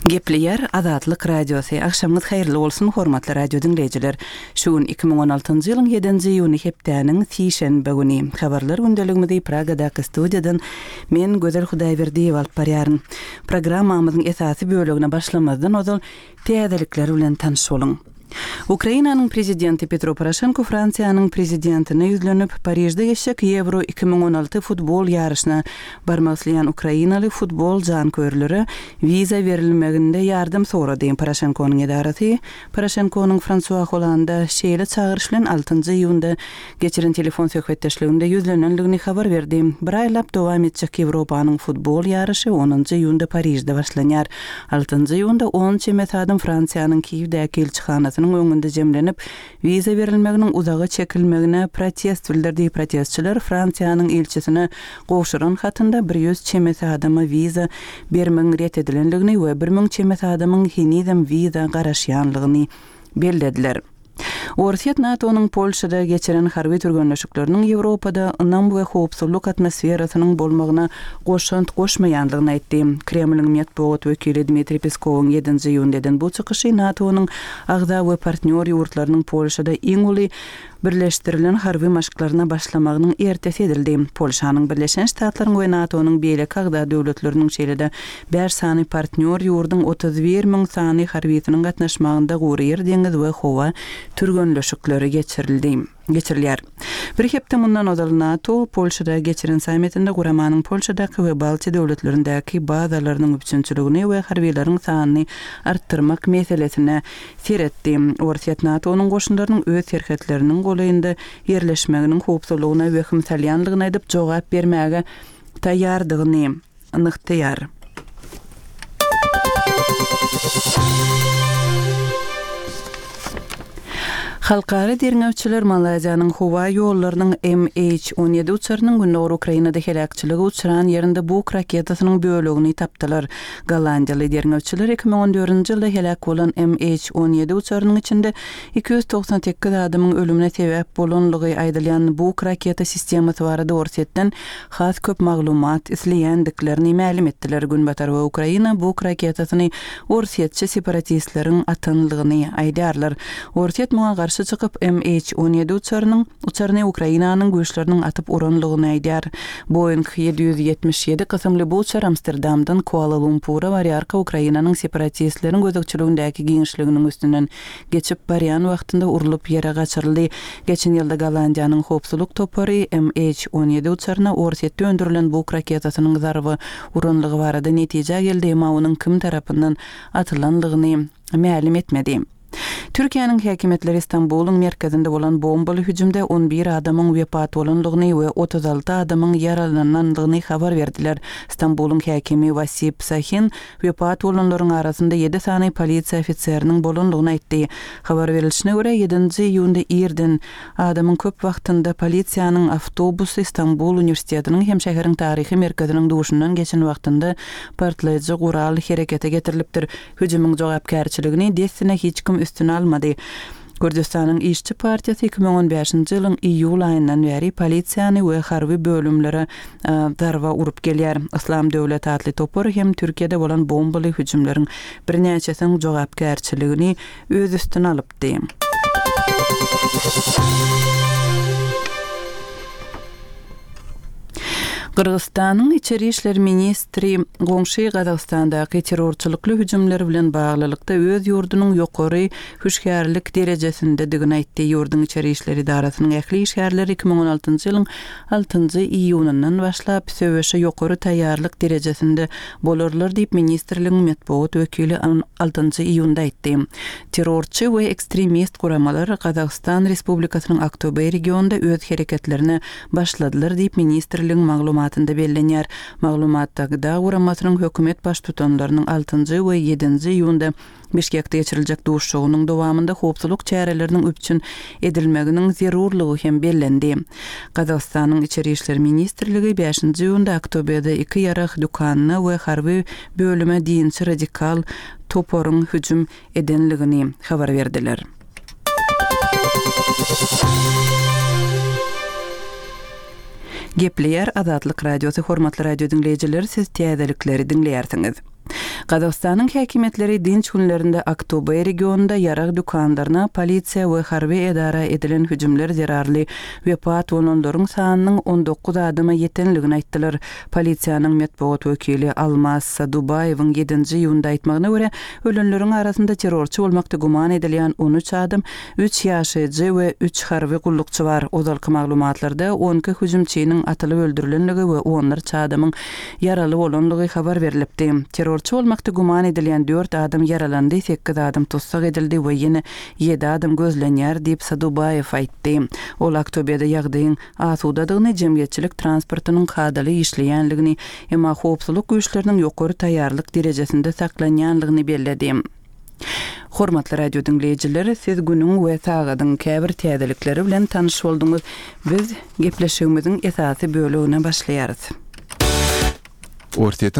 Gepleýär Azatlyk Radiosy. Agşamyňyz haýyrly bolsun, hormatly radio diňleýjiler. Şu gün 2016-njy ýylyň ýedinji iýuny hepdäniň sişenbe güni. Habarlar gündeligimizi Pragadaky studiýadan men, Gözel Hudaýberdiýewa alyp barýaryn. Programmamyzyň esasy bölegine başlamazdan ozal täzelikler bilen tanyş boluň. Ukrainanyň prezidenti Petro Poroşenko Fransiýanyň prezidentine ýüzlenip, Parižde geçjek Ýewro 2016 futbol ýaryşyna barmak isleýän ukrainaly futbol janköýerlere wiza berilmeginde ýardam sorady. Poroşenkonyň edarasy Poroşenkonyň Fransua Hollanda şeýle çagyryş bilen altynjy iýunda geçiren telefon söhbetdeşliginde ýüzlenendigini habar berdi. Bir aýlap dowam etjek Ýewropanyň futbol ýaryşy onunjy iýunda Parižde başlanýar. Altynjy iýunda on çemesi adam Fransiýanyň Kiýewdäki ilçihanasynyň öňünde jemlenip, wiza berilmeginiň uzaga çekilmegine protest bildirdi. Protestçiler Fransiýanyň ilçisine gowşuran hatynda 100 çemesi adama wiza bermegiň ret edilendigini we 1000 çemesi adamyň henizem wiza garaşýanlygyny bellediler. Orsýet NATO-nyň Polşada geçiren harby türgenleşikleriniň Ýewropada ynam we howpsuzlyk atmosferasynyň bolmagyna goşant goşmaýandygyny aýtdy. Kremliň metbugat wekili Dmitriý Peskowyň ýedinji iýunda eden bu çykyşy NATO-nyň agza we partnýor ýurtlarynyň Polşada iň uly birleşdirilen harby maşklaryna başlamagynyň ertesi edildi. Polşanyň Birleşen Ştatlaryň we NATO-nyň beýleki agza döwletleriniň şeýle-de bäş sany partnýor ýurduň 31 müň sany harbysynyň gatnaşmagynda gury ýer, deňiz we howa türgenleşikleri geçirildi. Geçirilýär. Bir hepde mundan ozal NATO Polşada geçiren sammitinde guramanyň Polşadaky we Baltiýa döwletlerindäki bazalarynyň üpjünçiligini we harbylaryň sanyny artdyrmak meselesine seretdi. Orsýet NATO-nyň goşunlarynyň öz serhetleriniň golaýynda ýerleşmeginiň howpsuzlygyna wehim salýanlygyny aýdyp, jogap bermäge taýýardygyny nygtaýar. Halkara derňewçiler Malaýziýanyň howa ýollarynyň MH 17 uçarynyň gündogar Ukrainada heläkçilige uçran ýerinde Buk raketasynyň bölegini tapdylar. Gollandiýaly derňewçiler 2014-nji ýylda heläk bolan MH 17 uçarynyň içinde 298 adamyň ölümine sebäp bolanlygy aýdylýan Buk raketa sistemasy barada Orsýetden has köp maglumat isleýändiklerini mälim etdiler. Günbatar we Ukraina Buk raketasyny orsýetçi separatistleriň atanlygyny aýdýarlar. Orsýet muňa garşy çykyp, MH 17 uçarynyň uçaryny Ukrainanyň güýçleriniň atyp uranlygyny aýdýar. Boeing 777 kysymly bu uçar Amsterdamdan Kuala-Lumpura barýarka Ukrainanyň separatistleriň gözegçiligindäki giňişliginiň üstünden geçip barýan wagtynda urlup ýere gaçyryldy. Geçen ýylda Gollandiýanyň howpsuzlyk topary MH 17 uçaryna Orsýetde öndürilen Buk raketasynyň zarba uranlygy barada netijä geldi, emma onuň kim tarapyndan atylanlygyny mälim etmedi. Türkiýäniň häkimiýetleri Stambulyň merkezinde bolan bombaly hüjümde 11 adamyň wepat bolanlygyny we 36 adamyň ýaralanandygyny habar berdiler. Stambulyň häkimi Wasip Sahin Wepat bolanlaryň arasynda ýedi sany polisiýa ofiseriniň bolandygyny aýtdy. Habar berilişine görä, ýedinji iýunda irden, adamyň köp wagtynda polisiýanyň awtobusy Stambul uniwersitetiniň hem şäheriň taryhy merkeziniň duşundan geçen wagtynda partlaýjy gural herekete getirilipdir. Hüjümiň jogapkärçiligini dessine hiç kim üstüne almady. Kürdüstanyň Işçi partiýasy 2015-nji ýylyň iýul aýyndan bäri polisiýany we harby bölümlere zarba urup gelýär. Yslam döwleti atly topar hem Türkiýede bolan bombaly hüjümleriň birnäçesiniň jogapkärçiligini öz üstüne alypdy. Gyrgyzystanyň içeri işler ministri goňşy Gazagystandaky terrorçylykly hüjümler bilen baglylykda öz ýurdunyň ýokary hüşgärlik derejesindedigini aýtdy. Ýurduň içeri işler edarasynyň ähli işgärleri 2016-njy ýylyň altynjy iýunyndan başlap söweşe ýokary taýýarlyk derejesinde bolarlar diýip, ministrligiň metbugat wekili altynjy iýunda aýtdy. Terrorçy we ekstremist guramalar Gazagystan Respublikasynyň Aktobe regionynda öz hereketlerine başladylar diýip, ministrligiň maglumatynda bellenýär. Maglumatda GDA guramasynyň hökümet baştutanlarynyň altynjy we ýedinji iýunda Bişkekde geçiriljek duşuşygynyň dowamynda howpsuzlyk çäreleriniň üpjün edilmeginiň zerurlygy hem bellendi. Gazagystanyň Içeri işler ministrligi bäşinji iýunda Aktobede iki ýarag dükanyna we harby bölüme dinçi radikal toparyň hüjüm edenligini habar berdiler. Gepleýär Azatlyk Radiosy Hormatly radio diňleýjiler siz täzelikleri diňleýärsiňiz. Gazagystanyň häkimiýetleri dynç günlerinde Aktobe regionynda ýarag dükanlaryna, polisiýa we harby edara edilen hüjümler zerarly wepat bolanlaryň sanynyň 19 adama ýetenligini aýtdylar. Polisiýanyň metbugat wekili Almaz Sadubaýewiň ýedinji iýunda aýtmagyna görä, ölenleriň arasynda terrorçy bolmakda güman edilýän 13 adam, üç ýaşaýjy we üç harby gullukçy bar. Ozalky maglumatlarda 12 hüjümçiniň atylyp öldürilenligi we onlarça adamyň ýaraly bolanlygy habar berlipdi. Terrorçy bolmakda güman edilýän dört adam ýaralandy, sekiz adam tussag edildi we ýene ýedi adam gözlenýär diýip, Sadubaýew aýtdy. Ol Aktobede ýagdaýyň asudadygyny, jemgyýetçilik transportynyň kadaly işleýänligini, emma howpsuzlyk güýçleriniň ýokary taýýarlyk derejesinde saklanýanlygyny belledi. Hormatly radio diňleýjiler, siz günüň we sagadyň käbir täzelikleri bilen tanyş bolduňyz. Biz gepleşigimiziň esasy bölegine başlaýarys. Orsýetiň.